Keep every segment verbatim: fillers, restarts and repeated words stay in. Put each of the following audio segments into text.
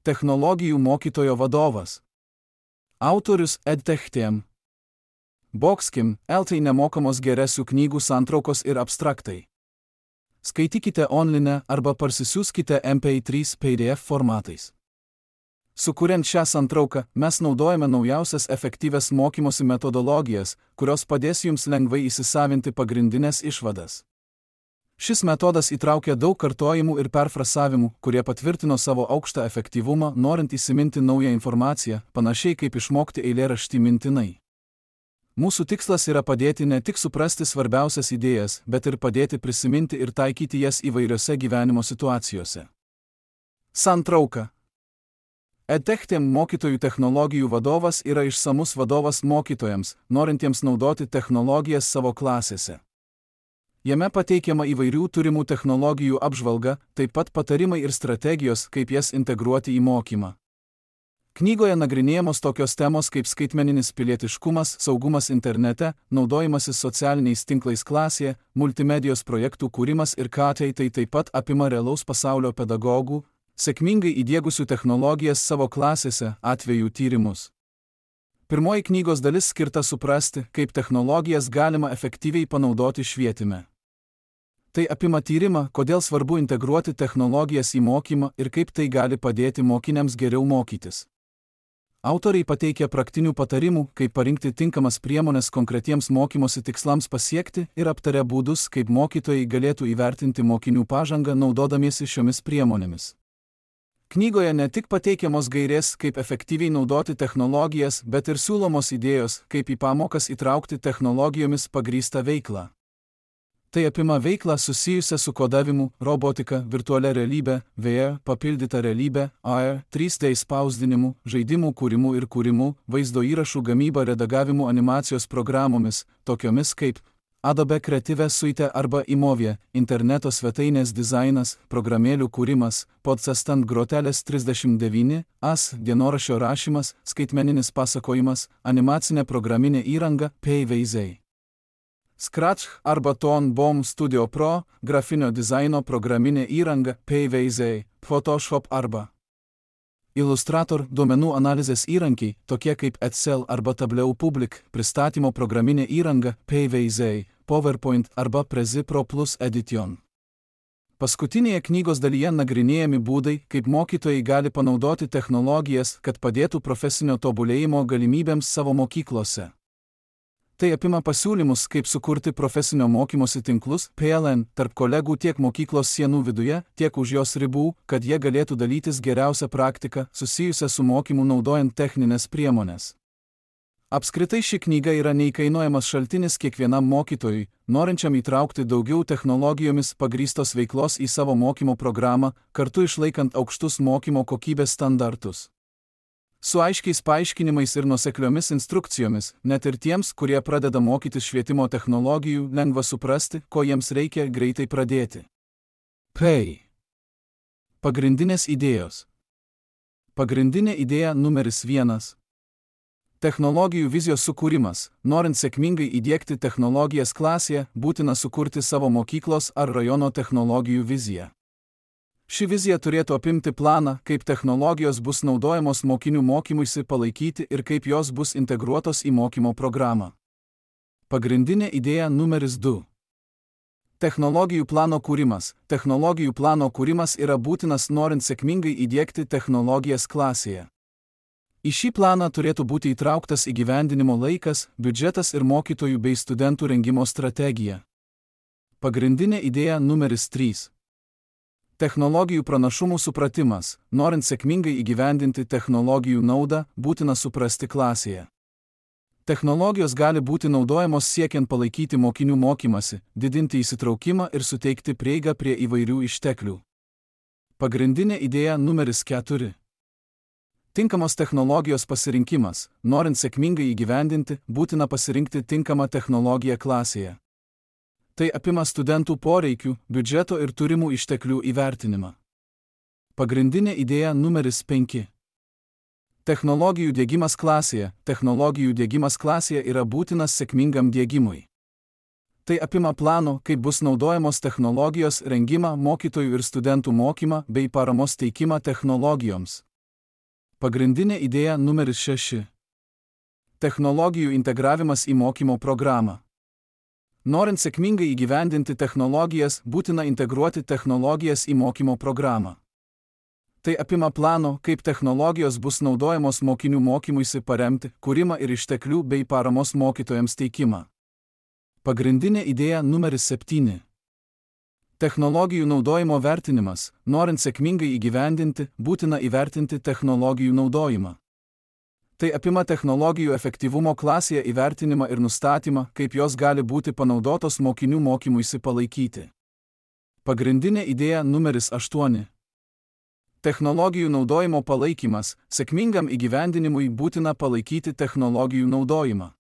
Technologijų mokytojo vadovas. Autorius EdTech. Boxkim, L T nemokamos geresių knygų santraukos ir abstraktai. Skaitykite online arba parsisiųskite M P trys P D F formatais. Sukuriant šią santrauką, mes naudojame naujausias efektyvias mokymosi metodologijas, kurios padės jums lengvai įsisavinti pagrindinės išvadas. Šis metodas įtraukia daug kartojimų ir perfrasavimų, kurie patvirtino savo aukštą efektyvumą, norint įsiminti naują informaciją, panašiai kaip išmokti eilėraštį mintinai. Mūsų tikslas yra padėti ne tik suprasti svarbiausias idėjas, bet ir padėti prisiminti ir taikyti jas įvairiose gyvenimo situacijose. Santrauka. EdTech mokytojų technologijų vadovas yra išsamus vadovas mokytojams, norintiems naudoti technologijas savo klasėse. Jame pateikiama įvairių turimų technologijų apžvalga, taip pat patarimai ir strategijos, kaip jas integruoti į mokymą. Knygoje nagrinėjamos tokios temos kaip skaitmeninis pilietiškumas, saugumas internete, naudojimasis socialiniais tinklais klasėje, multimedijos projektų kūrimas ir ką tai tai taip pat apima realaus pasaulio pedagogų, sėkmingai įdiegusių technologijas savo klasėse, atvejų tyrimus. Pirmoji knygos dalis skirta suprasti, kaip technologijas galima efektyviai panaudoti švietime. Tai apima tyrimą, kodėl svarbu integruoti technologijas į mokymą ir kaip tai gali padėti mokiniams geriau mokytis. Autoriai pateikia praktinių patarimų, kaip parinkti tinkamas priemones konkretiems mokymosi tikslams pasiekti ir aptaria būdus, kaip mokytojai galėtų įvertinti mokinių pažangą naudodamiesi šiomis priemonėmis. Knygoje ne tik pateikiamos gairės, kaip efektyviai naudoti technologijas, bet ir siūlomos idėjos, kaip į pamokas įtraukti technologijomis pagrįstą veiklą. Tai apima veiklą susijusią su kodavimu, robotika, virtualia realybė, V R, papildyta realybė, A R, trys D spausdinimu, žaidimų kūrimu ir kūrimu, vaizdo įrašų gamyba, redagavimu, animacijos programomis, tokiomis kaip Adobe Creative Suite arba Imovie, interneto svetainės dizainas, programėlių kūrimas, Podsestant grotelės trisdešimt devyni, A S, dienoraščio rašymas, skaitmeninis pasakojimas, animacinė programinė įranga, P-vaizdai. Scratch arba Ton Bomb Studio Pro, grafinio dizaino programinė įranga, P-vaizdai, Photoshop arba Illustrator, duomenų analizės įrankiai, tokie kaip Excel arba Tableau Public, pristatymo programinė įranga, P-vaizdai, PowerPoint arba Prezi Pro Plus Edition. Paskutinėje knygos dalyje nagrinėjami būdai, kaip mokytojai gali panaudoti technologijas, kad padėtų profesinio tobulėjimo galimybėms savo mokyklose. Tai apima pasiūlymus, kaip sukurti profesinio mokymosi tinklus, P L N, tarp kolegų tiek mokyklos sienų viduje, tiek už jos ribų, kad jie galėtų dalytis geriausią praktiką, susijusią su mokymu naudojant techninės priemonės. Apskritai ši knyga yra neįkainojamas šaltinis kiekvienam mokytojui, norinčiam įtraukti daugiau technologijomis pagrįstos veiklos į savo mokymo programą, kartu išlaikant aukštus mokymo kokybės standartus. Su aiškiais paaiškinimais ir nuosekliomis instrukcijomis, net ir tiems, kurie pradeda mokytis švietimo technologijų, lengva suprasti, ko jiems reikia greitai pradėti. P. Pagrindinės idėjos. Pagrindinė idėja numeris vienas. Technologijų vizijos sukūrimas. Norint sėkmingai įdiegti technologijas klasėje, būtina sukurti savo mokyklos ar rajono technologijų viziją. Ši vizija turėtų apimti planą, kaip technologijos bus naudojamos mokinių mokymuisi palaikyti ir kaip jos bus integruotos į mokymo programą. Pagrindinė idėja numeris du. Technologijų plano kūrimas. Technologijų plano kūrimas yra būtinas norint sėkmingai įdiegti technologijas klasėje. Į šį planą turėtų būti įtrauktas įgyvendinimo laikas, biudžetas ir mokytojų bei studentų rengimo strategija. Pagrindinė idėja numeris trys. Technologijų pranašumų supratimas. Norint sėkmingai įgyvendinti technologijų naudą, būtina suprasti klasėje. Technologijos gali būti naudojamos siekiant palaikyti mokinių mokymasi, didinti įsitraukimą ir suteikti prieigą prie įvairių išteklių. Pagrindinė idėja numeris keturi. Tinkamos technologijos pasirinkimas. Norint sėkmingai įgyvendinti, būtina pasirinkti tinkamą technologiją klasėje. Tai apima studentų poreikių, biudžeto ir turimų išteklių įvertinimą. Pagrindinė idėja numeris penki. Technologijų diegimas klasėje. Technologijų diegimas klasėje yra būtinas sėkmingam diegimui. Tai apima plano, kaip bus naudojamos technologijos, rengimą, mokytojų ir studentų mokymą bei paramos teikimą technologijoms. Pagrindinė idėja numeris šeši. Technologijų integravimas į mokymo programą. Norint sėkmingai įgyvendinti technologijas, būtina integruoti technologijas į mokymo programą. Tai apima plano, kaip technologijos bus naudojamos mokinių mokymuisi paremti, kūrimą ir išteklių bei paramos mokytojams teikimą. Pagrindinė idėja numeris septyni. Technologijų naudojimo vertinimas. Norint sėkmingai įgyvendinti, būtina įvertinti technologijų naudojimą. Tai apima technologijų efektyvumo klasėje įvertinimą ir nustatymą, kaip jos gali būti panaudotos mokinių mokymuisi palaikyti. Pagrindinė idėja numeris aštuoni. Technologijų naudojimo palaikymas. Sėkmingam įgyvendinimui būtina palaikyti technologijų naudojimą.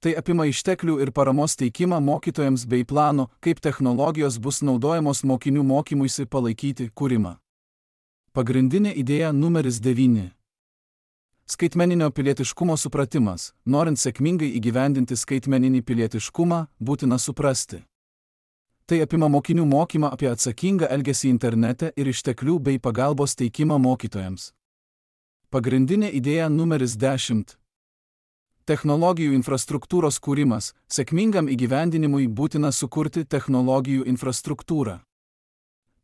Tai apima išteklių ir paramos teikimą mokytojams bei plano, kaip technologijos bus naudojamos mokinių mokymuisi palaikyti kūrimą. Pagrindinė idėja numeris devyni. Skaitmeninio pilietiškumo supratimas. Norint sėkmingai įgyvendinti skaitmeninį pilietiškumą, būtina suprasti. Tai apima mokinių mokymą apie atsakingą elgesį internete ir išteklių bei pagalbos teikimą mokytojams. Pagrindinė idėja numeris dešimt. Technologijų infrastruktūros kūrimas. Sėkmingam įgyvendinimui būtina sukurti technologijų infrastruktūrą.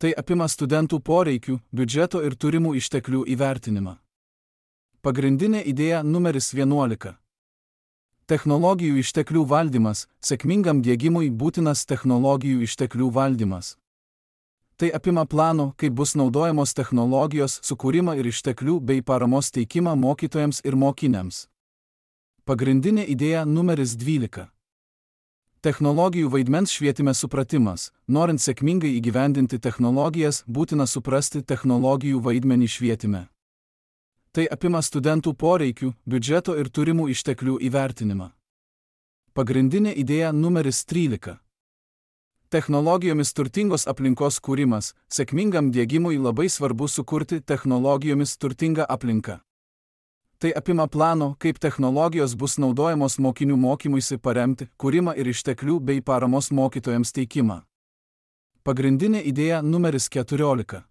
Tai apima studentų poreikių, biudžeto ir turimų išteklių įvertinimą. Pagrindinė idėja numeris vienuolika. Technologijų išteklių valdymas. Sėkmingam diegimui būtinas technologijų išteklių valdymas. Tai apima plano, kaip bus naudojamos technologijos, sukūrimą ir išteklių bei paramos teikimą mokytojams ir mokiniams. Pagrindinė idėja numeris dvylika. Technologijų vaidmens švietime supratimas. Norint sėkmingai įgyvendinti technologijas, būtina suprasti technologijų vaidmenį švietime. Tai apima studentų poreikių, biudžeto ir turimų išteklių įvertinimą. Pagrindinė idėja numeris trylika. Technologijomis turtingos aplinkos kūrimas. Sėkmingam diegimui labai svarbu sukurti technologijomis turtingą aplinką. Tai apima plano, kaip technologijos bus naudojamos mokinių mokymuisi paremti, kūrimą ir išteklių bei paramos mokytojams teikimą. Pagrindinė idėja numeris keturiolika.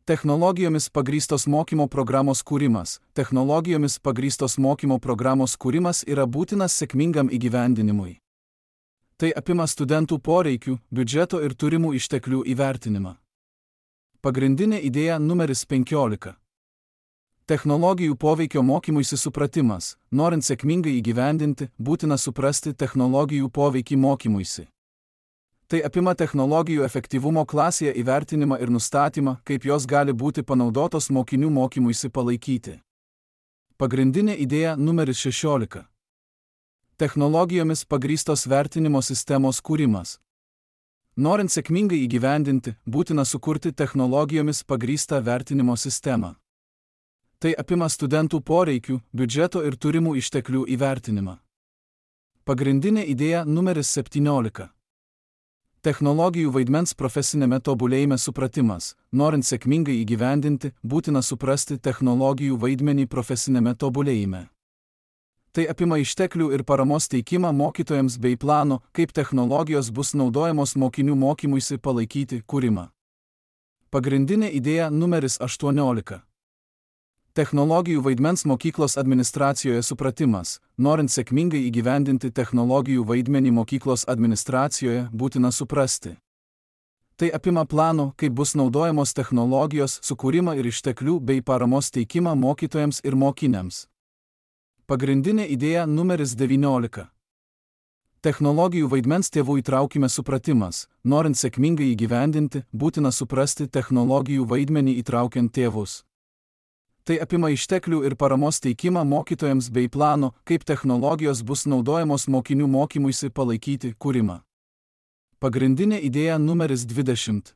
Technologijomis pagrįstos mokymo programos kūrimas. Technologijomis pagrįstos mokymo programos kūrimas yra būtinas sėkmingam įgyvendinimui. Tai apima studentų poreikių, biudžeto ir turimų išteklių įvertinimą. Pagrindinė idėja numeris penkiolika. Technologijų poveikio mokymuisi supratimas. Norint sėkmingai įgyvendinti, būtina suprasti technologijų poveikį mokymuisi. Tai apima technologijų efektyvumo klasėje įvertinimą ir nustatymą, kaip jos gali būti panaudotos mokinių mokymuisi palaikyti. Pagrindinė idėja numeris šešiolika. Technologijomis pagrįstos vertinimo sistemos kūrimas. Norint sėkmingai įgyvendinti, būtina sukurti technologijomis pagrįstą vertinimo sistemą. Tai apima studentų poreikių, biudžeto ir turimų išteklių įvertinimą. Pagrindinė idėja numeris septyniolika. Technologijų vaidmens profesinėme tobulėjime supratimas. Norint sėkmingai įgyvendinti, būtina suprasti technologijų vaidmenį profesinėme tobulėjime. Tai apima išteklių ir paramos teikimą mokytojams bei plano, kaip technologijos bus naudojamos mokinių mokymuisi palaikyti kūrimą. Pagrindinė idėja numeris aštuoniolika. Technologijų vaidmens mokyklos administracijoje supratimas. Norint sėkmingai įgyvendinti technologijų vaidmenį mokyklos administracijoje, būtina suprasti. Tai apima plano, kaip bus naudojamos technologijos, sukūrimą ir išteklių bei paramos teikimą mokytojams ir mokiniams. Pagrindinė idėja numeris devyniolika. Technologijų vaidmens tėvų įtraukime supratimas. Norint sėkmingai įgyvendinti, būtina suprasti technologijų vaidmenį įtraukiant tėvus. Tai apima išteklių ir paramos teikimą mokytojams bei plano, kaip technologijos bus naudojamos mokinių mokymuisi palaikyti kūrimą. Pagrindinė idėja numeris dvidešimt.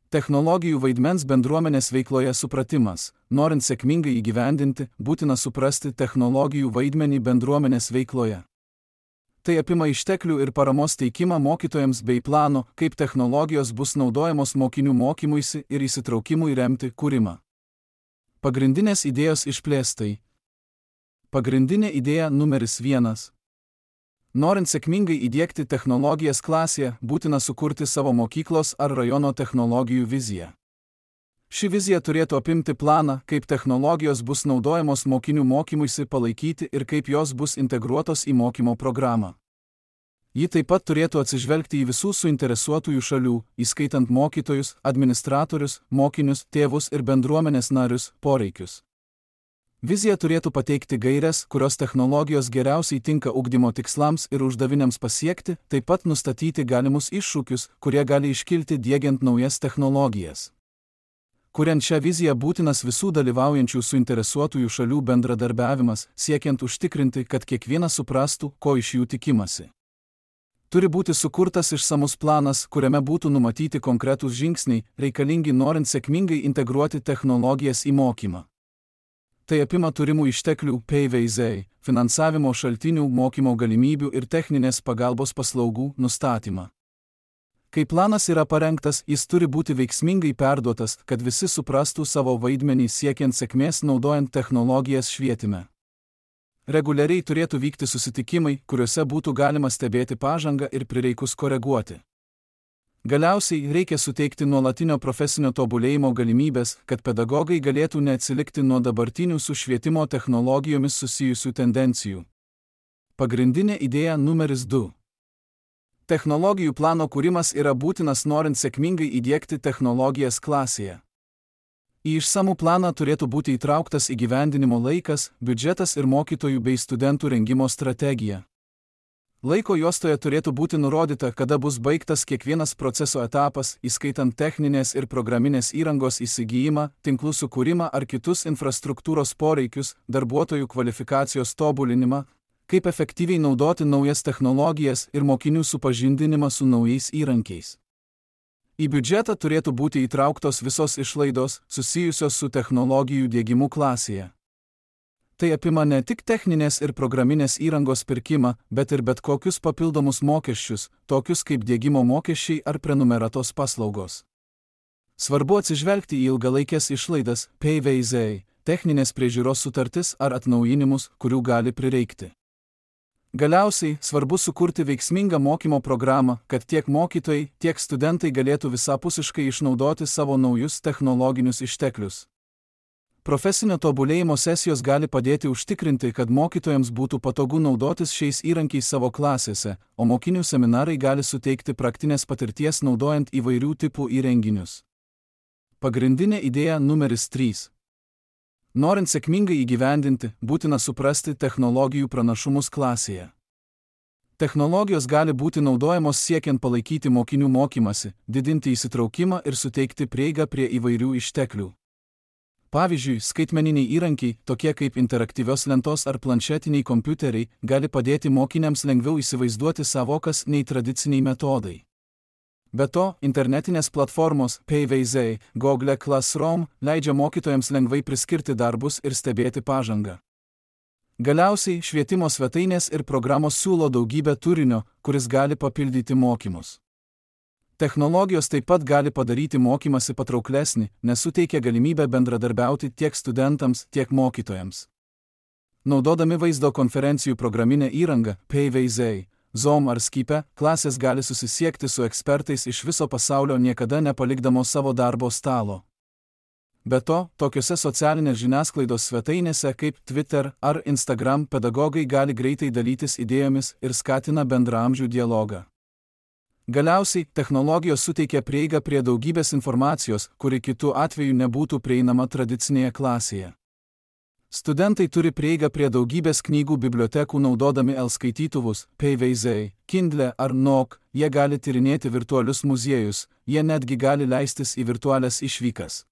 Technologijų vaidmens bendruomenės veikloje supratimas. Norint sėkmingai įgyvendinti, būtina suprasti technologijų vaidmenį bendruomenės veikloje. Tai apima išteklių ir paramos teikimą mokytojams bei plano, kaip technologijos bus naudojamos mokinių mokymuisi ir įsitraukimui remti kūrimą. Pagrindinės idėjos išplėstai. Pagrindinė idėja numeris vienas. Norint sėkmingai įdiegti technologijas klasėje, būtina sukurti savo mokyklos ar rajono technologijų viziją. Ši vizija turėtų apimti planą, kaip technologijos bus naudojamos mokinių mokymuisi palaikyti ir kaip jos bus integruotos į mokymo programą. Ji taip pat turėtų atsižvelgti į visų suinteresuotųjų šalių, įskaitant mokytojus, administratorius, mokinius, tėvus ir bendruomenės narius, poreikius. Vizija turėtų pateikti gaires, kurios technologijos geriausiai tinka ugdymo tikslams ir uždaviniams pasiekti, taip pat nustatyti galimus iššūkius, kurie gali iškilti diegiant naujas technologijas. Kuriant šią viziją būtinas visų dalyvaujančių suinteresuotųjų šalių bendradarbiavimas, siekiant užtikrinti, kad kiekvienas suprastų, ko iš jų tikimasi. Turi būti sukurtas išsamus planas, kuriame būtų numatyti konkretūs žingsniai, reikalingi norint sėkmingai integruoti technologijas į mokymą. Tai apima turimų išteklių P V Z, finansavimo šaltinių, mokymo galimybių ir techninės pagalbos paslaugų nustatymą. Kai planas yra parengtas, jis turi būti veiksmingai perduotas, kad visi suprastų savo vaidmenį siekiant sėkmės naudojant technologijas švietime. Reguliariai turėtų vykti susitikimai, kuriuose būtų galima stebėti pažangą ir prireikus koreguoti. Galiausiai reikia suteikti nuolatinio profesinio tobulėjimo galimybės, kad pedagogai galėtų neatsilikti nuo dabartinių su švietimo technologijomis susijusių tendencijų. Pagrindinė idėja numeris du. Technologijų plano kūrimas yra būtinas norint sėkmingai įdiegti technologijas klasėje. Į išsamų planą turėtų būti įtrauktas įgyvendinimo laikas, biudžetas ir mokytojų bei studentų rengimo strategija. Laiko juostoje turėtų būti nurodyta, kada bus baigtas kiekvienas proceso etapas, įskaitant techninės ir programinės įrangos įsigijimą, tinklų sukūrimą ar kitus infrastruktūros poreikius, darbuotojų kvalifikacijos tobulinimą, kaip efektyviai naudoti naujas technologijas ir mokinių supažindinimą su naujais įrankiais. Į biudžetą turėtų būti įtrauktos visos išlaidos, susijusios su technologijų diegimu klasėje. Tai apima ne tik techninės ir programinės įrangos pirkimą, bet ir bet kokius papildomus mokesčius, tokius kaip diegimo mokesčiai ar prenumeratos paslaugos. Svarbu atsižvelgti į ilgalaikės išlaidas, P V Z, techninės priežiūros sutartis ar atnaujinimus, kurių gali prireikti. Galiausiai, svarbu sukurti veiksmingą mokymo programą, kad tiek mokytojai, tiek studentai galėtų visapusiškai išnaudoti savo naujus technologinius išteklius. Profesinio tobulėjimo sesijos gali padėti užtikrinti, kad mokytojams būtų patogu naudotis šiais įrankiais savo klasėse, o mokinių seminarai gali suteikti praktinės patirties naudojant įvairių tipų įrenginius. Pagrindinė idėja numeris trys. Norint sėkmingai įgyvendinti, būtina suprasti technologijų pranašumus klasėje. Technologijos gali būti naudojamos siekiant palaikyti mokinių mokymasi, didinti įsitraukimą ir suteikti prieigą prie įvairių išteklių. Pavyzdžiui, skaitmeniniai įrankiai, tokie kaip interaktyvios lentos ar planšetiniai kompiuteriai, gali padėti mokiniams lengviau įsivaizduoti savokas nei tradiciniai metodai. Be to, internetinės platformos P V Z, Google Classroom leidžia mokytojams lengvai priskirti darbus ir stebėti pažangą. Galiausiai, švietimo svetainės ir programos siūlo daugybę turinio, kuris gali papildyti mokymus. Technologijos taip pat gali padaryti mokymasi patrauklesnį, nes suteikia galimybę bendradarbiauti tiek studentams, tiek mokytojams. Naudodami vaizdo konferencijų programinę įrangą, P V Z, Zoom ar Skype, klasės gali susisiekti su ekspertais iš viso pasaulio niekada nepalikdamos savo darbo stalo. Be to, tokiose socialinės žiniasklaidos svetainėse kaip Twitter ar Instagram pedagogai gali greitai dalytis idėjomis ir skatina bendraamžių dialogą. Galiausiai, technologijos suteikia prieigą prie daugybės informacijos, kuri kitu atveju nebūtų prieinama tradicinėje klasėje. Studentai turi prieigą prie daugybės knygų bibliotekų naudodami e-skaitytuvus, P V Z, Kindle ar Nook, jie gali tyrinėti virtualius muziejus, jie netgi gali leistis į virtualias išvykas.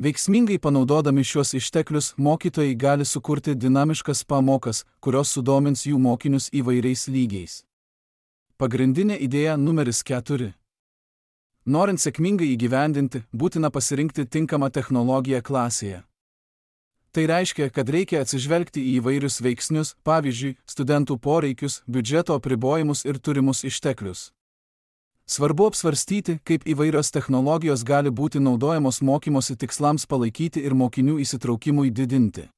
Veiksmingai panaudodami šios išteklius, mokytojai gali sukurti dinamiškas pamokas, kurios sudomins jų mokinius įvairiais lygiais. Pagrindinė idėja numeris keturi. Norint sėkmingai įgyvendinti, būtina pasirinkti tinkamą technologiją klasėje. Tai reiškia, kad reikia atsižvelgti į įvairius veiksnius, pavyzdžiui, studentų poreikius, biudžeto apribojimus ir turimus išteklius. Svarbu apsvarstyti, kaip įvairios technologijos gali būti naudojamos mokymosi tikslams palaikyti ir mokinių įsitraukimui didinti.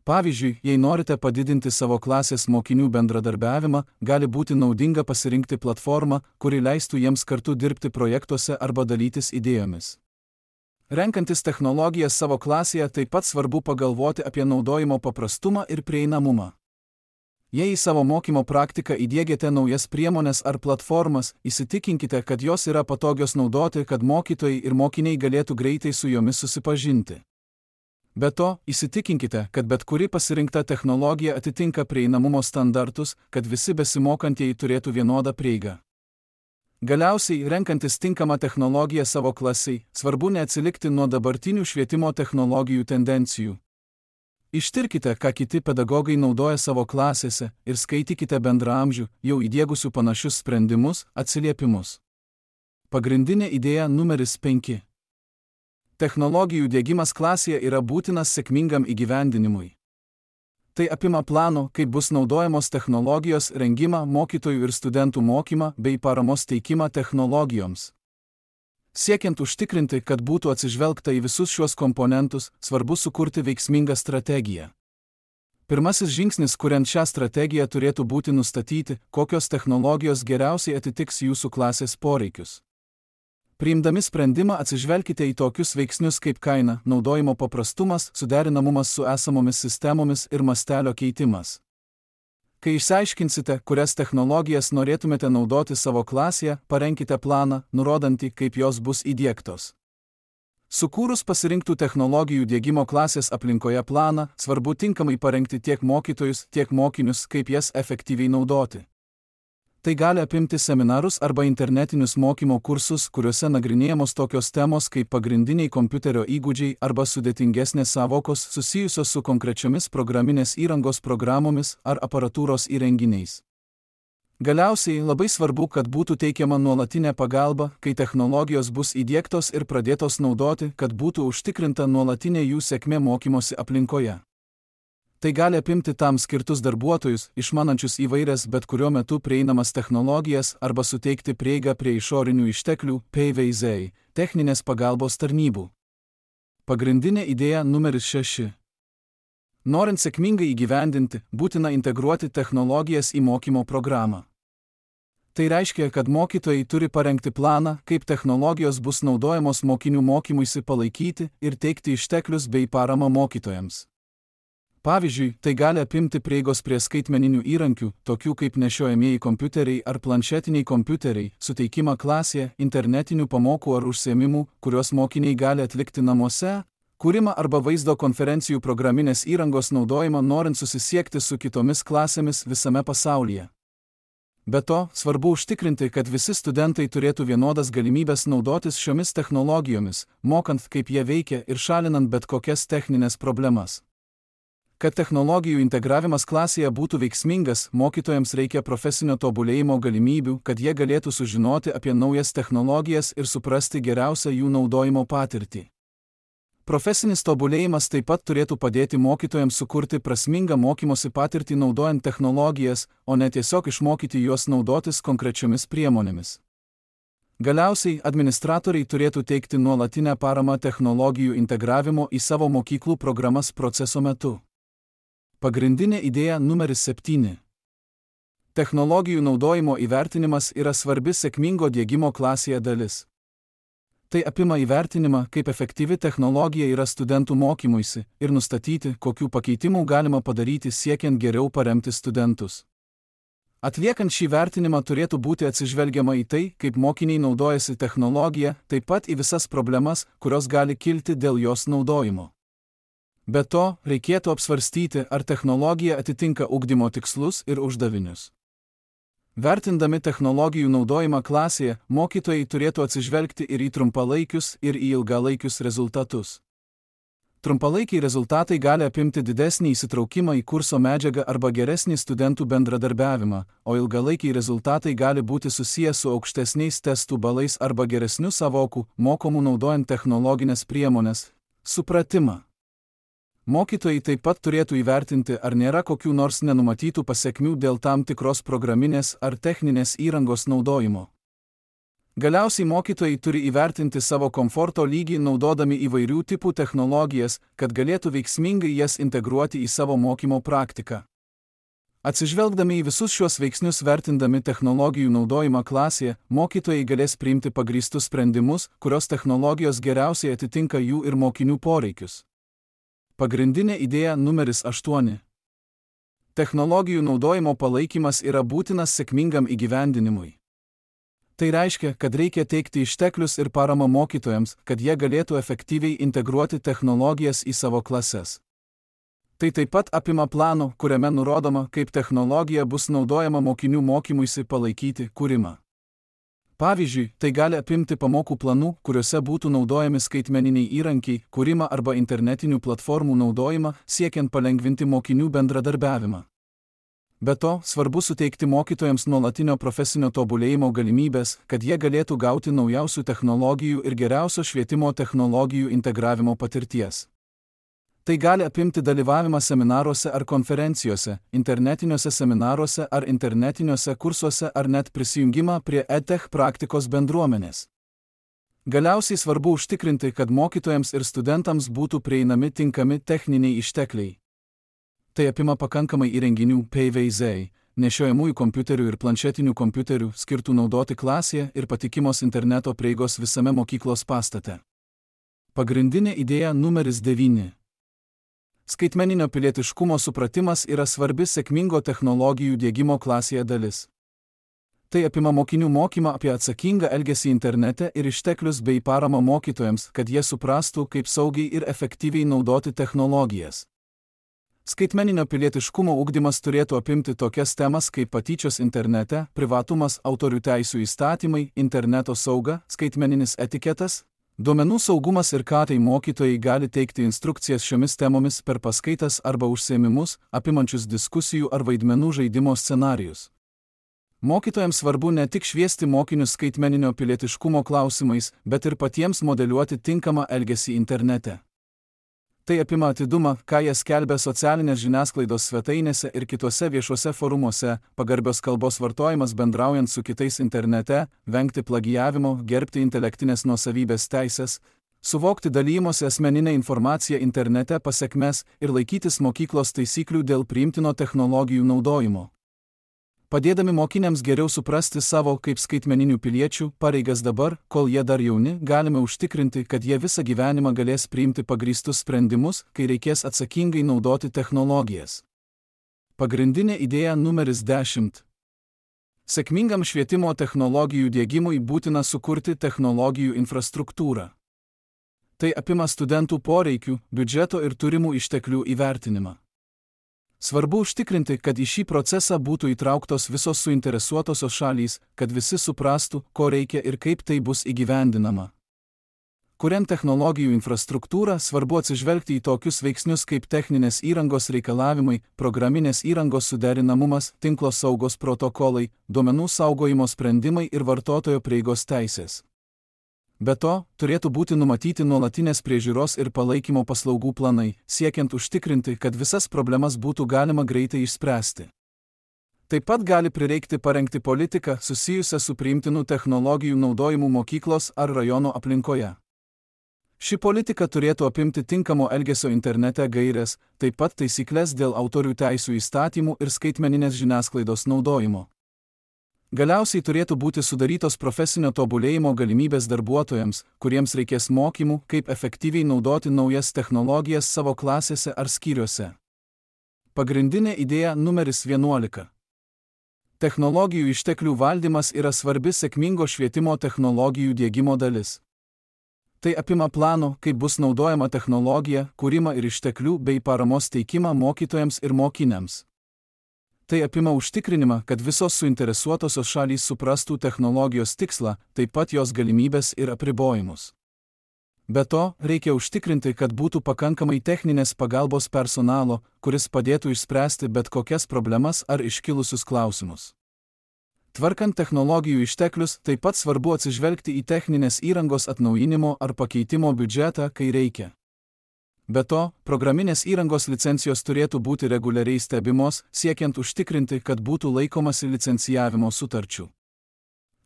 Pavyzdžiui, jei norite padidinti savo klasės mokinių bendradarbiavimą, gali būti naudinga pasirinkti platformą, kuri leistų jiems kartu dirbti projektuose arba dalytis idėjomis. Renkantis technologijas savo klasėje taip pat svarbu pagalvoti apie naudojimo paprastumą ir prieinamumą. Jei į savo mokymo praktiką įdiegiate naujas priemones ar platformas, įsitikinkite, kad jos yra patogios naudoti, kad mokytojai ir mokiniai galėtų greitai su jomis susipažinti. Be to, įsitikinkite, kad bet kuri pasirinkta technologija atitinka prieinamumo standartus, kad visi besimokantieji turėtų vienodą prieigą. Galiausiai, renkantis tinkamą technologiją savo klasiai, svarbu neatsilikti nuo dabartinių švietimo technologijų tendencijų. Ištirkite, ką kiti pedagogai naudoja savo klasėse ir skaitykite bendraamžių, jau įdiegusių panašius sprendimus, atsiliepimus. Pagrindinė idėja numeris penki. Technologijų diegimas klasėje yra būtinas sėkmingam įgyvendinimui. Tai apima plano, kaip bus naudojamos technologijos rengimą, mokytojų ir studentų mokymą bei paramos teikimą technologijoms. Siekiant užtikrinti, kad būtų atsižvelgta į visus šiuos komponentus, svarbu sukurti veiksmingą strategiją. Pirmasis žingsnis, kuriant šią strategiją, turėtų būti nustatyti, kokios technologijos geriausiai atitiks jūsų klasės poreikius. Priimdami sprendimą atsižvelkite į tokius veiksnius kaip kaina, naudojimo paprastumas, suderinamumas su esamomis sistemomis ir mastelio keitimas. Kai išsiaiškinsite, kurias technologijas norėtumėte naudoti savo klasėje, parenkite planą, nurodantį, kaip jos bus įdiegtos. Sukūrus pasirinktų technologijų diegimo klasės aplinkoje planą, svarbu tinkamai parengti tiek mokytojus, tiek mokinius, kaip jas efektyviai naudoti. Tai gali apimti seminarus arba internetinius mokymo kursus, kuriuose nagrinėjamos tokios temos kaip pagrindiniai kompiuterio įgūdžiai arba sudėtingesnės savokos susijusios su konkrečiomis programinės įrangos programomis ar aparatūros įrenginiais. Galiausiai labai svarbu, kad būtų teikiama nuolatinė pagalba, kai technologijos bus įdiegtos ir pradėtos naudoti, kad būtų užtikrinta nuolatinė jų sėkmė mokymosi aplinkoje. Tai gali apimti tam skirtus darbuotojus, išmanančius įvairias bet kuriuo metu prieinamas technologijas arba suteikti prieigą prie išorinių išteklių, P V Z, techninės pagalbos tarnybų. Pagrindinė idėja numeris šeši. Norint sėkmingai įgyvendinti, būtina integruoti technologijas į mokymo programą. Tai reiškia, kad mokytojai turi parengti planą, kaip technologijos bus naudojamos mokinių mokymuisi palaikyti ir teikti išteklius bei paramą mokytojams. Pavyzdžiui, tai gali apimti prieigos prie skaitmeninių įrankių, tokių kaip nešiojamieji kompiuteriai ar planšetiniai kompiuteriai, suteikimą klasėje, internetinių pamokų ar užsiėmimų, kuriuos mokiniai gali atlikti namuose, kūrimą arba vaizdo konferencijų programinės įrangos naudojimą norint susisiekti su kitomis klasėmis visame pasaulyje. Be to, svarbu užtikrinti, kad visi studentai turėtų vienodas galimybės naudotis šiomis technologijomis, mokant, kaip jie veikia ir šalinant bet kokias techninės problemas. Kad technologijų integravimas klasėje būtų veiksmingas, mokytojams reikia profesinio tobulėjimo galimybių, kad jie galėtų sužinoti apie naujas technologijas ir suprasti geriausią jų naudojimo patirtį. Profesinis tobulėjimas taip pat turėtų padėti mokytojams sukurti prasmingą mokymosi patirtį naudojant technologijas, o ne tiesiog išmokyti juos naudotis konkrečiomis priemonėmis. Galiausiai, administratoriai turėtų teikti nuolatinę paramą technologijų integravimo į savo mokyklų programas proceso metu. Pagrindinė idėja numeris septyni. Technologijų naudojimo įvertinimas yra svarbi sėkmingo diegimo klasėje dalis. Tai apima įvertinimą, kaip efektyvi technologija yra studentų mokymuisi ir nustatyti, kokių pakeitimų galima padaryti siekiant geriau paremti studentus. Atliekant šį vertinimą turėtų būti atsižvelgiama į tai, kaip mokiniai naudojasi technologija, taip pat į visas problemas, kurios gali kilti dėl jos naudojimo. Be to, reikėtų apsvarstyti, ar technologija atitinka ugdymo tikslus ir uždavinius. Vertindami technologijų naudojimą klasėje, mokytojai turėtų atsižvelgti ir į trumpalaikius, ir į ilgalaikius rezultatus. Trumpalaikiai rezultatai gali apimti didesnį įsitraukimą į kurso medžiagą arba geresnį studentų bendradarbiavimą, o ilgalaikiai rezultatai gali būti susiję su aukštesniais testų balais arba geresniu sąvokų, mokomų naudojant technologinės priemonės, supratimą. Mokytojai taip pat turėtų įvertinti, ar nėra kokių nors nenumatytų pasekmių dėl tam tikros programinės ar techninės įrangos naudojimo. Galiausiai mokytojai turi įvertinti savo komforto lygį naudodami įvairių tipų technologijas, kad galėtų veiksmingai jas integruoti į savo mokymo praktiką. Atsižvelgdami į visus šios veiksnius vertindami technologijų naudojimą klasėje, mokytojai galės priimti pagrįstus sprendimus, kurios technologijos geriausiai atitinka jų ir mokinių poreikius. Pagrindinė idėja numeris aštuoni. Technologijų naudojimo palaikymas yra būtinas sėkmingam įgyvendinimui. Tai reiškia, kad reikia teikti išteklius ir paramą mokytojams, kad jie galėtų efektyviai integruoti technologijas į savo klases. Tai taip pat apima planą, kuriame nurodoma, kaip technologija bus naudojama mokinių mokymuisi palaikyti kūrimą. Pavyzdžiui, tai gali apimti pamokų planų, kuriuose būtų naudojami skaitmeniniai įrankiai, kūrimą arba internetinių platformų naudojimą, siekiant palengvinti mokinių bendradarbiavimą. Be to, svarbu suteikti mokytojams nuolatinio profesinio tobulėjimo galimybės, kad jie galėtų gauti naujausių technologijų ir geriausio švietimo technologijų integravimo patirties. Tai gali apimti dalyvavimą seminaruose ar konferencijose, internetiniuose seminaruose ar internetiniuose kursuose ar net prisijungimą prie edtech praktikos bendruomenės. Galiausiai svarbu užtikrinti, kad mokytojams ir studentams būtų prieinami tinkami techniniai ištekliai. Tai apima pakankamai įrenginių P V Z, nešiojamųjų kompiuterių ir planšetinių kompiuterių, skirtų naudoti klasėje ir patikimos interneto prieigos visame mokyklos pastate. Pagrindinė idėja numeris devyni. Skaitmeninio pilietiškumo supratimas yra svarbi sėkmingo technologijų diegimo klasėje dalis. Tai apima mokinių mokymą apie atsakingą elgesį internete ir išteklius bei paramą mokytojams, kad jie suprastų, kaip saugiai ir efektyviai naudoti technologijas. Skaitmeninio pilietiškumo ugdymas turėtų apimti tokias temas kaip patyčios internete, privatumas, autorių teisių įstatymai, interneto sauga, skaitmeninis etiketas, duomenų saugumas ir ką tai mokytojai gali teikti instrukcijas šiomis temomis per paskaitas arba užsiėmimus, apimančius diskusijų ar vaidmenų žaidimo scenarijus. Mokytojams svarbu ne tik šviesti mokinius skaitmeninio pilietiškumo klausimais, bet ir patiems modeliuoti tinkamą elgesį internete. Tai apima atidumą, ką jie skelbia socialinės žiniasklaidos svetainėse ir kituose viešuose forumuose, pagarbios kalbos vartojimas bendraujant su kitais internete, vengti plagijavimo, gerbti intelektinės nuosavybės teisės, suvokti dalymosi asmeninę informaciją internete pasekmes ir laikytis mokyklos taisyklių dėl priimtino technologijų naudojimo. Padėdami mokiniams geriau suprasti savo kaip skaitmeninių piliečių pareigas dabar, kol jie dar jauni, galime užtikrinti, kad jie visą gyvenimą galės priimti pagrįstus sprendimus, kai reikės atsakingai naudoti technologijas. Pagrindinė idėja numeris dešimt. Sėkmingam švietimo technologijų diegimui būtina sukurti technologijų infrastruktūrą. Tai apima studentų poreikių, biudžeto ir turimų išteklių įvertinimą. Svarbu užtikrinti, kad į šį procesą būtų įtrauktos visos suinteresuotosios šalys, kad visi suprastų, ko reikia ir kaip tai bus įgyvendinama. Kuriant technologijų infrastruktūrą, svarbu atsižvelgti į tokius veiksnius kaip techninės įrangos reikalavimai, programinės įrangos suderinamumas, tinklo saugos protokolai, duomenų saugojimo sprendimai ir vartotojo prieigos teisės. Be to, turėtų būti numatyti nuolatinės priežiūros ir palaikymo paslaugų planai, siekiant užtikrinti, kad visas problemas būtų galima greitai išspręsti. Taip pat gali prireikti parengti politiką susijusią su priimtinų technologijų naudojimu mokyklos ar rajono aplinkoje. Ši politika turėtų apimti tinkamo elgesio internete gaires, taip pat taisyklės dėl autorių teisių įstatymų ir skaitmeninės žiniasklaidos naudojimo. Galiausiai turėtų būti sudarytos profesinio tobulėjimo galimybės darbuotojams, kuriems reikės mokymų, kaip efektyviai naudoti naujas technologijas savo klasėse ar skyriuose. Pagrindinė idėja numeris vienuolika. Technologijų išteklių valdymas yra svarbi sėkmingo švietimo technologijų diegimo dalis. Tai apima plano, kaip bus naudojama technologija, kūrimą ir išteklių bei paramos teikimą mokytojams ir mokiniams. Tai apima užtikrinimą, kad visos suinteresuotosios šalys suprastų technologijos tikslą, taip pat jos galimybės ir apribojimus. Be to, reikia užtikrinti, kad būtų pakankamai techninės pagalbos personalo, kuris padėtų išspręsti bet kokias problemas ar iškilusius klausimus. Tvarkant technologijų išteklius, taip pat svarbu atsižvelgti į techninės įrangos atnaujinimo ar pakeitimo biudžetą, kai reikia. Be to, programinės įrangos licencijos turėtų būti reguliariai stebimos, siekiant užtikrinti, kad būtų laikomasi licencijavimo sutarčių.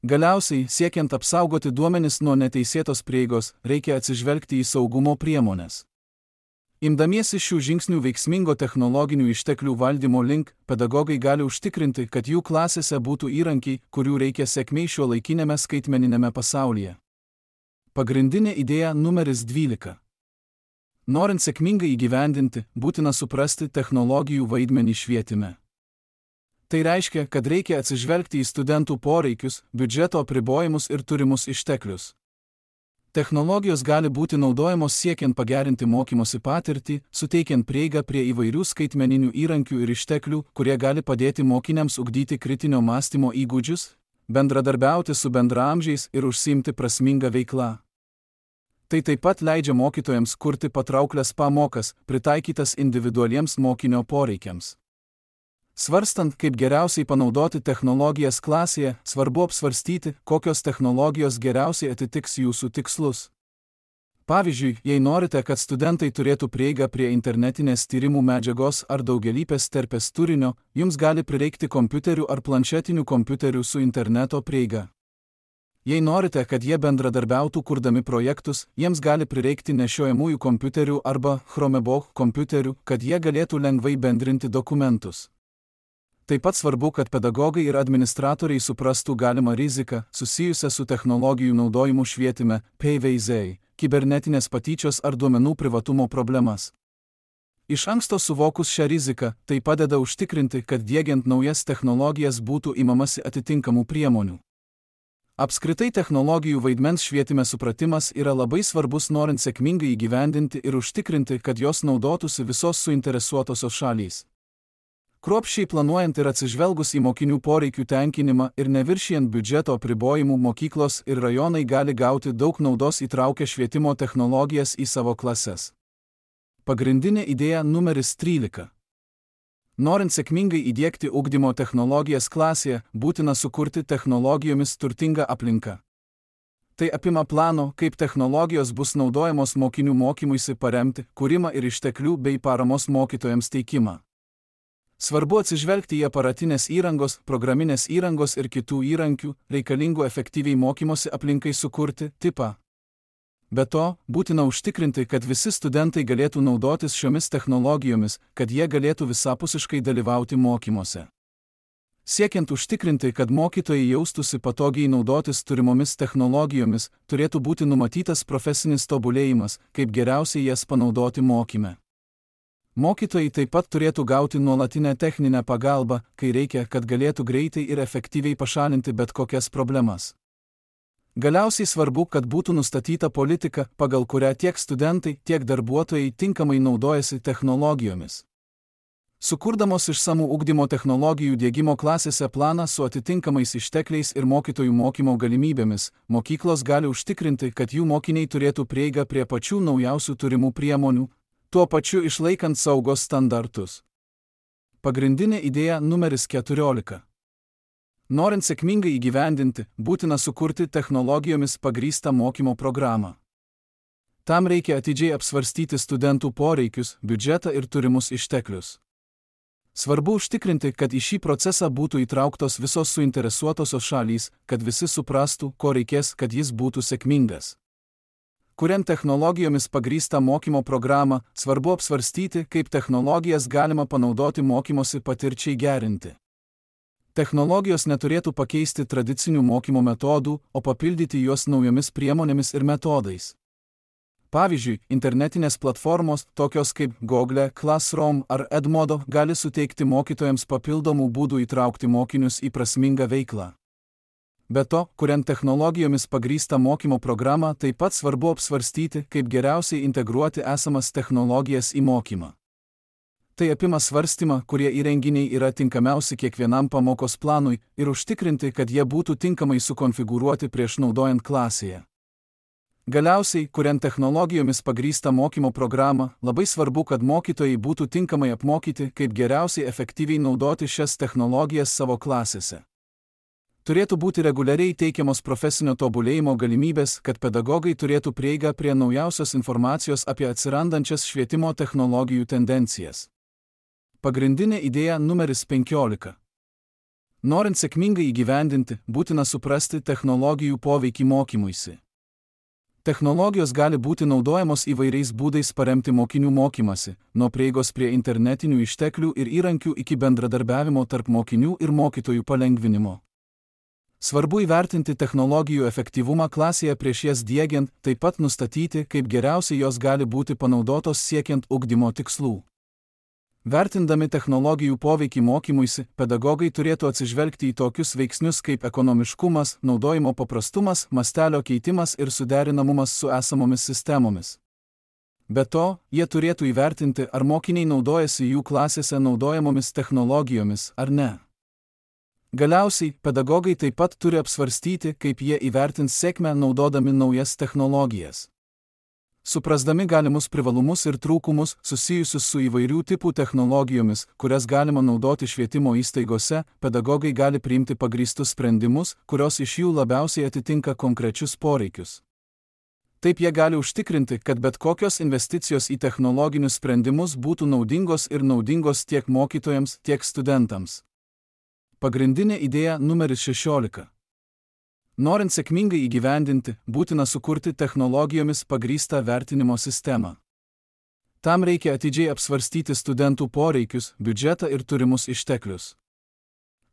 Galiausiai, siekiant apsaugoti duomenis nuo neteisėtos prieigos, reikia atsižvelgti į saugumo priemones. Imdamiesi šių žingsnių veiksmingo technologinių išteklių valdymo link, pedagogai gali užtikrinti, kad jų klasėse būtų įrankiai, kurių reikia sėkmiai šiuolaikinėme skaitmeninėme pasaulyje. Pagrindinė idėja numeris dvylika. Norint sėkmingai įgyvendinti, būtina suprasti technologijų vaidmenį švietime. Tai reiškia, kad reikia atsižvelgti į studentų poreikius, biudžeto apribojimus ir turimus išteklius. Technologijos gali būti naudojamos siekiant pagerinti mokymosi patirtį, suteikiant prieigą prie įvairių skaitmeninių įrankių ir išteklių, kurie gali padėti mokiniams ugdyti kritinio mąstymo įgūdžius, bendradarbiauti su bendraamžiais ir užsiimti prasmingą veiklą. Tai taip pat leidžia mokytojams kurti patrauklias pamokas, pritaikytas individualiems mokinio poreikiams. Svarstant, kaip geriausiai panaudoti technologijas klasėje, svarbu apsvarstyti, kokios technologijos geriausiai atitiks jūsų tikslus. Pavyzdžiui, jei norite, kad studentai turėtų prieigą prie internetinės tyrimų medžiagos ar daugialypės terpės turinio, jums gali prireikti kompiuterių ar planšetinių kompiuterių su interneto prieiga. Jei norite, kad jie bendradarbiautų kurdami projektus, jiems gali prireikti nešiojamųjų kompiuterių arba Chromebook kompiuterių, kad jie galėtų lengvai bendrinti dokumentus. Taip pat svarbu, kad pedagogai ir administratoriai suprastų galimą riziką susijusią su technologijų naudojimu švietime, P V Z, kibernetinės patyčios ar duomenų privatumo problemas. Iš anksto suvokus šią riziką, tai padeda užtikrinti, kad diegiant naujas technologijas būtų imamasi atitinkamų priemonių. Apskritai technologijų vaidmens švietime supratimas yra labai svarbus, norint sėkmingai įgyvendinti ir užtikrinti, kad jos naudotųsi visos suinteresuotosios šalys. Kruopščiai planuojant ir atsižvelgus į mokinių poreikių tenkinimą ir neviršijant biudžeto apribojimų, mokyklos ir rajonai gali gauti daug naudos įtraukę švietimo technologijas į savo klases. Pagrindinė idėja numeris trylika. Norint sėkmingai įdiegti ugdymo technologijas klasėje, būtina sukurti technologijomis turtingą aplinką. Tai apima plano, kaip technologijos bus naudojamos mokinių mokymuisi paremti, kūrimą ir išteklių bei paramos mokytojams teikimą. Svarbu atsižvelgti į aparatinės įrangos, programinės įrangos ir kitų įrankių, reikalingų efektyviai mokymosi aplinkai sukurti, tipą. Be to, būtina užtikrinti, kad visi studentai galėtų naudotis šiomis technologijomis, kad jie galėtų visapusiškai dalyvauti mokymuose. Siekiant užtikrinti, kad mokytojai jaustųsi patogiai naudotis turimomis technologijomis, turėtų būti numatytas profesinis tobulėjimas, kaip geriausiai jas panaudoti mokyme. Mokytojai taip pat turėtų gauti nuolatinę techninę pagalbą, kai reikia, kad galėtų greitai ir efektyviai pašalinti bet kokias problemas. Galiausiai svarbu, kad būtų nustatyta politika, pagal kurią tiek studentai, tiek darbuotojai tinkamai naudojasi technologijomis. Sukurdamos išsamų ugdymo technologijų diegimo klasėse planą su atitinkamais ištekliais ir mokytojų mokymo galimybėmis, mokyklos gali užtikrinti, kad jų mokiniai turėtų prieigą prie pačių naujausių turimų priemonių, tuo pačiu išlaikant saugos standartus. Pagrindinė idėja numeris keturiolika. Norint sėkmingai įgyvendinti, būtina sukurti technologijomis pagrįstą mokymo programą. Tam reikia atidžiai apsvarstyti studentų poreikius, biudžetą ir turimus išteklius. Svarbu užtikrinti, kad į šį procesą būtų įtrauktos visos suinteresuotosios šalys, kad visi suprastų, ko reikės, kad jis būtų sėkmingas. Kuriant technologijomis pagrįstą mokymo programą, svarbu apsvarstyti, kaip technologijas galima panaudoti mokymosi patirčiai gerinti. Technologijos neturėtų pakeisti tradicinių mokymo metodų, o papildyti juos naujomis priemonėmis ir metodais. Pavyzdžiui, internetinės platformos, tokios kaip Google Classroom ar Edmodo, gali suteikti mokytojams papildomų būdų įtraukti mokinius į prasmingą veiklą. Be to, kuriant technologijomis pagrįstą mokymo programą, taip pat svarbu apsvarstyti, kaip geriausiai integruoti esamas technologijas į mokymą. Tai apima svarstymą, kurie įrenginiai yra tinkamiausi kiekvienam pamokos planui ir užtikrinti, kad jie būtų tinkamai sukonfigūruoti prieš naudojant klasėje. Galiausiai, kuriant technologijomis pagrįstą mokymo programą, labai svarbu, kad mokytojai būtų tinkamai apmokyti, kaip geriausiai efektyviai naudoti šias technologijas savo klasėse. Turėtų būti reguliariai teikiamos profesinio tobulėjimo galimybės, kad pedagogai turėtų prieigą prie naujausios informacijos apie atsirandančias švietimo technologijų tendencijas. Pagrindinė idėja numeris penkiolika. Norint sėkmingai įgyvendinti, būtina suprasti technologijų poveikį mokymuisi. Technologijos gali būti naudojamos įvairiais būdais paremti mokinių mokymasi, nuo prieigos prie internetinių išteklių ir įrankių iki bendradarbiavimo tarp mokinių ir mokytojų palengvinimo. Svarbu įvertinti technologijų efektyvumą klasėje prieš jas diegiant, taip pat nustatyti, kaip geriausiai jos gali būti panaudotos siekiant ugdymo tikslų. Vertindami technologijų poveikį mokymuisi, pedagogai turėtų atsižvelgti į tokius veiksnius kaip ekonomiškumas, naudojimo paprastumas, mastelio keitimas ir suderinamumas su esamomis sistemomis. Be to, jie turėtų įvertinti, ar mokiniai naudojasi jų klasėse naudojamomis technologijomis ar ne. Galiausiai, pedagogai taip pat turi apsvarstyti, kaip jie įvertins sėkmę naudodami naujas technologijas. Suprasdami galimus privalumus ir trūkumus susijusius su įvairių tipų technologijomis, kurias galima naudoti švietimo įstaigose, pedagogai gali priimti pagrįstus sprendimus, kurios iš jų labiausiai atitinka konkrečius poreikius. Taip jie gali užtikrinti, kad bet kokios investicijos į technologinius sprendimus būtų naudingos ir naudingos tiek mokytojams, tiek studentams. Pagrindinė idėja numeris šešiolika. Norint sėkmingai įgyvendinti, būtina sukurti technologijomis pagrįstą vertinimo sistemą. Tam reikia atidžiai apsvarstyti studentų poreikius, biudžetą ir turimus išteklius.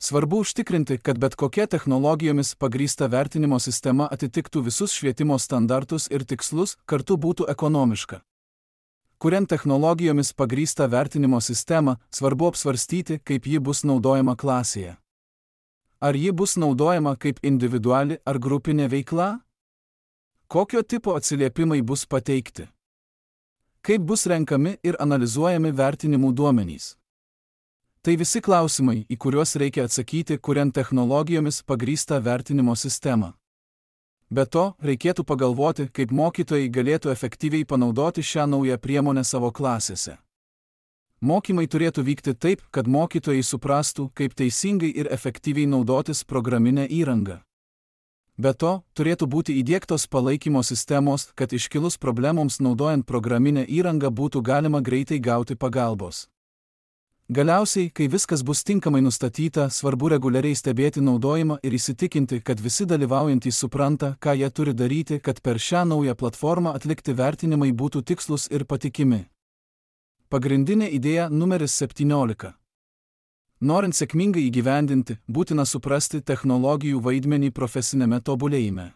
Svarbu užtikrinti, kad bet kokia technologijomis pagrįsta vertinimo sistema atitiktų visus švietimo standartus ir tikslus, kartu būtų ekonomiška. Kuriant technologijomis pagrįstą vertinimo sistemą, svarbu apsvarstyti, kaip ji bus naudojama klasėje. Ar ji bus naudojama kaip individuali ar grupinė veikla? Kokio tipo atsiliepimai bus pateikti? Kaip bus renkami ir analizuojami vertinimų duomenys? Tai visi klausimai, į kuriuos reikia atsakyti, kuriant technologijomis pagrįstą vertinimo sistemą. Be to, reikėtų pagalvoti, kaip mokytojai galėtų efektyviai panaudoti šią naują priemonę savo klasėse. Mokymai turėtų vykti taip, kad mokytojai suprastų, kaip teisingai ir efektyviai naudotis programinę įrangą. Be to, turėtų būti įdiegtos palaikymo sistemos, kad iškilus problemoms naudojant programinę įrangą būtų galima greitai gauti pagalbos. Galiausiai, kai viskas bus tinkamai nustatyta, svarbu reguliariai stebėti naudojimą ir įsitikinti, kad visi dalyvaujantys supranta, ką jie turi daryti, kad per šią naują platformą atlikti vertinimai būtų tikslus ir patikimi. Pagrindinė idėja numeris septyniolika. Norint sėkmingai įgyvendinti, būtina suprasti technologijų vaidmenį profesinėme tobulėjime.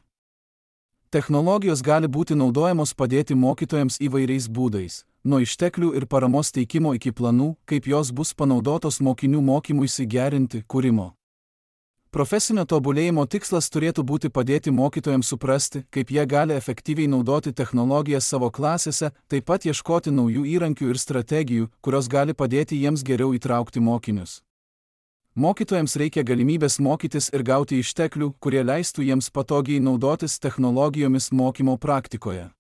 Technologijos gali būti naudojamos padėti mokytojams įvairiais būdais, nuo išteklių ir paramos teikimo iki planų, kaip jos bus panaudotos mokinių mokymuisi gerinti, kūrimo. Profesinio tobulėjimo tikslas turėtų būti padėti mokytojams suprasti, kaip jie gali efektyviai naudoti technologijas savo klasėse, taip pat ieškoti naujų įrankių ir strategijų, kurios gali padėti jiems geriau įtraukti mokinius. Mokytojams reikia galimybės mokytis ir gauti išteklių, kurie leistų jiems patogiai naudotis technologijomis mokymo praktikoje.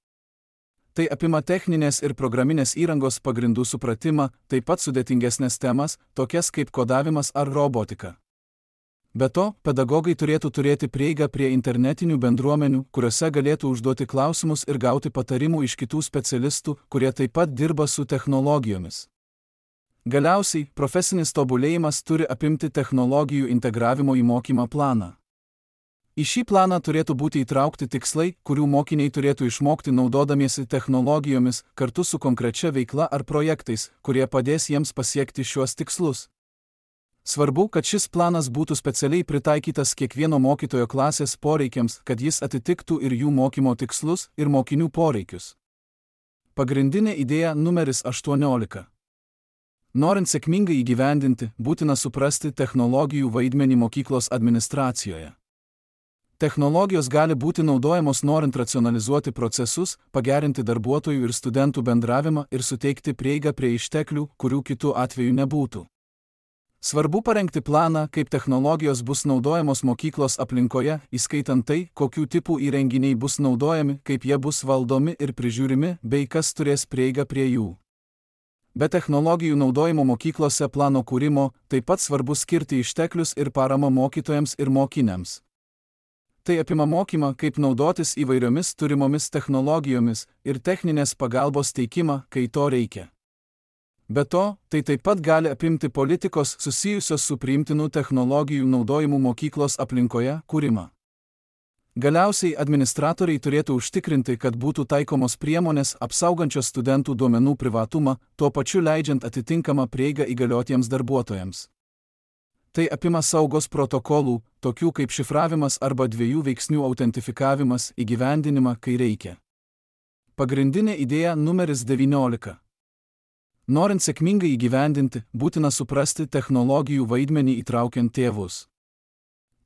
Tai apima techninės ir programinės įrangos pagrindų supratimą, taip pat sudėtingesnės temas, tokias kaip kodavimas ar robotika. Be to, pedagogai turėtų turėti prieigą prie internetinių bendruomenių, kuriuose galėtų užduoti klausimus ir gauti patarimų iš kitų specialistų, kurie taip pat dirba su technologijomis. Galiausiai, profesinis tobulėjimas turi apimti technologijų integravimo į mokymą planą. Į šį planą turėtų būti įtraukti tikslai, kurių mokiniai turėtų išmokti naudodamiesi technologijomis, kartu su konkrečia veikla ar projektais, kurie padės jiems pasiekti šiuos tikslus. Svarbu, kad šis planas būtų specialiai pritaikytas kiekvieno mokytojo klasės poreikiams, kad jis atitiktų ir jų mokymo tikslus, ir mokinių poreikius. Pagrindinė idėja numeris aštuoniolika. Norint sėkmingai įgyvendinti, būtina suprasti technologijų vaidmenį mokyklos administracijoje. Technologijos gali būti naudojamos norint racionalizuoti procesus, pagerinti darbuotojų ir studentų bendravimą ir suteikti prieigą prie išteklių, kurių kitų atveju nebūtų. Svarbu parengti planą, kaip technologijos bus naudojamos mokyklos aplinkoje, įskaitant tai, kokių tipų įrenginiai bus naudojami, kaip jie bus valdomi ir prižiūrimi, bei kas turės prieigą prie jų. Be technologijų naudojimo mokyklose plano kūrimo, taip pat svarbu skirti išteklius ir paramą mokytojams ir mokiniams. Tai apima mokymą, kaip naudotis įvairiomis turimomis technologijomis ir techninės pagalbos teikimą, kai to reikia. Be to, tai taip pat gali apimti politikos susijusios su priimtinų technologijų naudojimu mokyklos aplinkoje kūrimą. Galiausiai administratoriai turėtų užtikrinti, kad būtų taikomos priemonės apsaugančios studentų duomenų privatumą, tuo pačiu leidžiant atitinkamą prieigą įgaliotiems darbuotojams. Tai apima saugos protokolų, tokių kaip šifravimas arba dviejų veiksnių autentifikavimas, įgyvendinimą, kai reikia. Pagrindinė idėja numeris devyniolika. Norint sėkmingai įgyvendinti, būtina suprasti technologijų vaidmenį įtraukiant tėvus.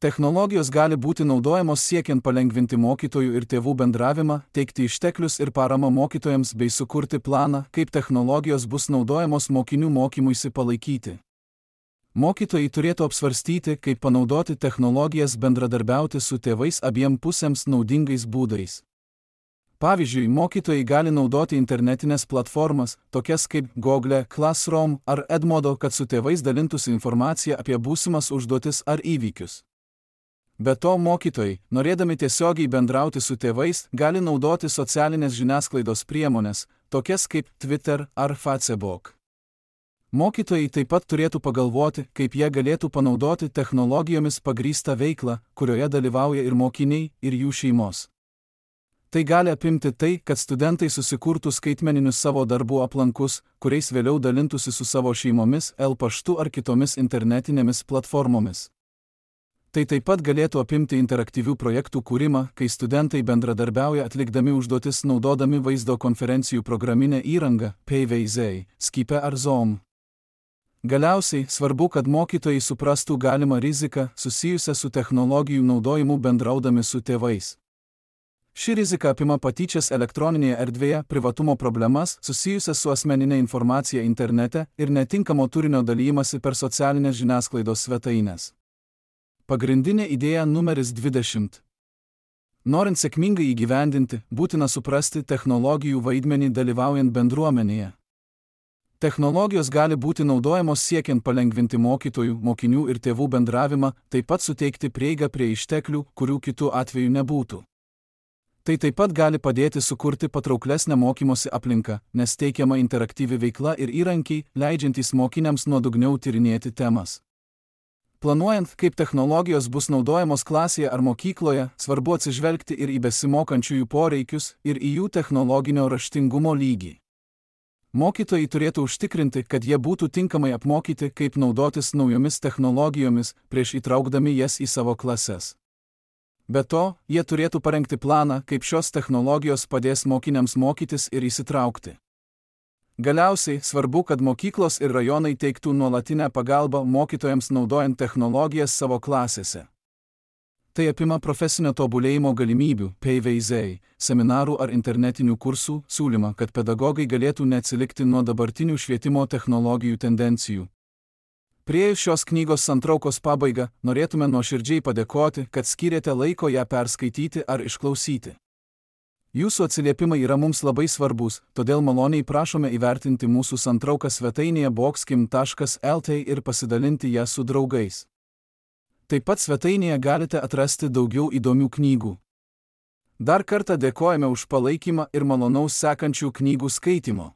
Technologijos gali būti naudojamos siekiant palengvinti mokytojų ir tėvų bendravimą, teikti išteklius ir paramą mokytojams bei sukurti planą, kaip technologijos bus naudojamos mokinių mokymuisi palaikyti. Mokytojai turėtų apsvarstyti, kaip panaudoti technologijas bendradarbiauti su tėvais abiem pusėms naudingais būdais. Pavyzdžiui, mokytojai gali naudoti internetinės platformas, tokias kaip Google Classroom ar Edmodo, kad su tėvais dalintųsi informaciją apie būsimas užduotis ar įvykius. Be to, mokytojai, norėdami tiesiogiai bendrauti su tėvais, gali naudoti socialinės žiniasklaidos priemonės, tokias kaip Twitter ar Facebook. Mokytojai taip pat turėtų pagalvoti, kaip jie galėtų panaudoti technologijomis pagrįstą veiklą, kurioje dalyvauja ir mokiniai, ir jų šeimos. Tai gali apimti tai, kad studentai susikurtų skaitmeninius savo darbų aplankus, kuriais vėliau dalintųsi su savo šeimomis, e-paštu ar kitomis internetinėmis platformomis. Tai taip pat galėtų apimti interaktyvių projektų kūrimą, kai studentai bendradarbiauja atlikdami užduotis naudodami vaizdo konferencijų programinę įrangą, P V Z, Skype ar Zoom. Galiausiai, svarbu, kad mokytojai suprastų galimą riziką susijusią su technologijų naudojimu bendraudami su tėvais. Ši rizika apima patyčias elektroninėje erdvėje, privatumo problemas susijusias su asmeninė informacija internete ir netinkamo turinio dalijimasi per socialinės žiniasklaidos svetaines. Pagrindinė idėja numeris dvidešimt. Norint sėkmingai įgyvendinti, būtina suprasti technologijų vaidmenį dalyvaujant bendruomenėje. Technologijos gali būti naudojamos siekiant palengvinti mokytojų, mokinių ir tėvų bendravimą, taip pat suteikti prieigą prie išteklių, kurių kitų atveju nebūtų. Tai taip pat gali padėti sukurti patrauklesnę mokymosi aplinką, nes teikiama interaktyvi veikla ir įrankiai, leidžiantys mokiniams nuodugniau tyrinėti temas. Planuojant, kaip technologijos bus naudojamos klasėje ar mokykloje, svarbu atsižvelgti ir į besimokančiųjų poreikius, ir į jų technologinio raštingumo lygį. Mokytojai turėtų užtikrinti, kad jie būtų tinkamai apmokyti, kaip naudotis naujomis technologijomis, prieš įtraukdami jas į savo klases. Be to, jie turėtų parengti planą, kaip šios technologijos padės mokiniams mokytis ir įsitraukti. Galiausiai, svarbu, kad mokyklos ir rajonai teiktų nuolatinę pagalbą mokytojams naudojant technologijas savo klasėse. Tai apima profesinio tobulėjimo galimybių, P V Z, seminarų ar internetinių kursų siūlymą, kad pedagogai galėtų neatsilikti nuo dabartinių švietimo technologijų tendencijų. Priėjus šios knygos santraukos pabaigą, norėtume nuoširdžiai padėkoti, kad skyrėte laiko ją perskaityti ar išklausyti. Jūsų atsiliepimai yra mums labai svarbus, todėl maloniai prašome įvertinti mūsų santrauką svetainėje boxkim taškas L T ir pasidalinti ją su draugais. Taip pat svetainėje galite atrasti daugiau įdomių knygų. Dar kartą dėkojame už palaikymą ir malonaus sekančių knygų skaitimo.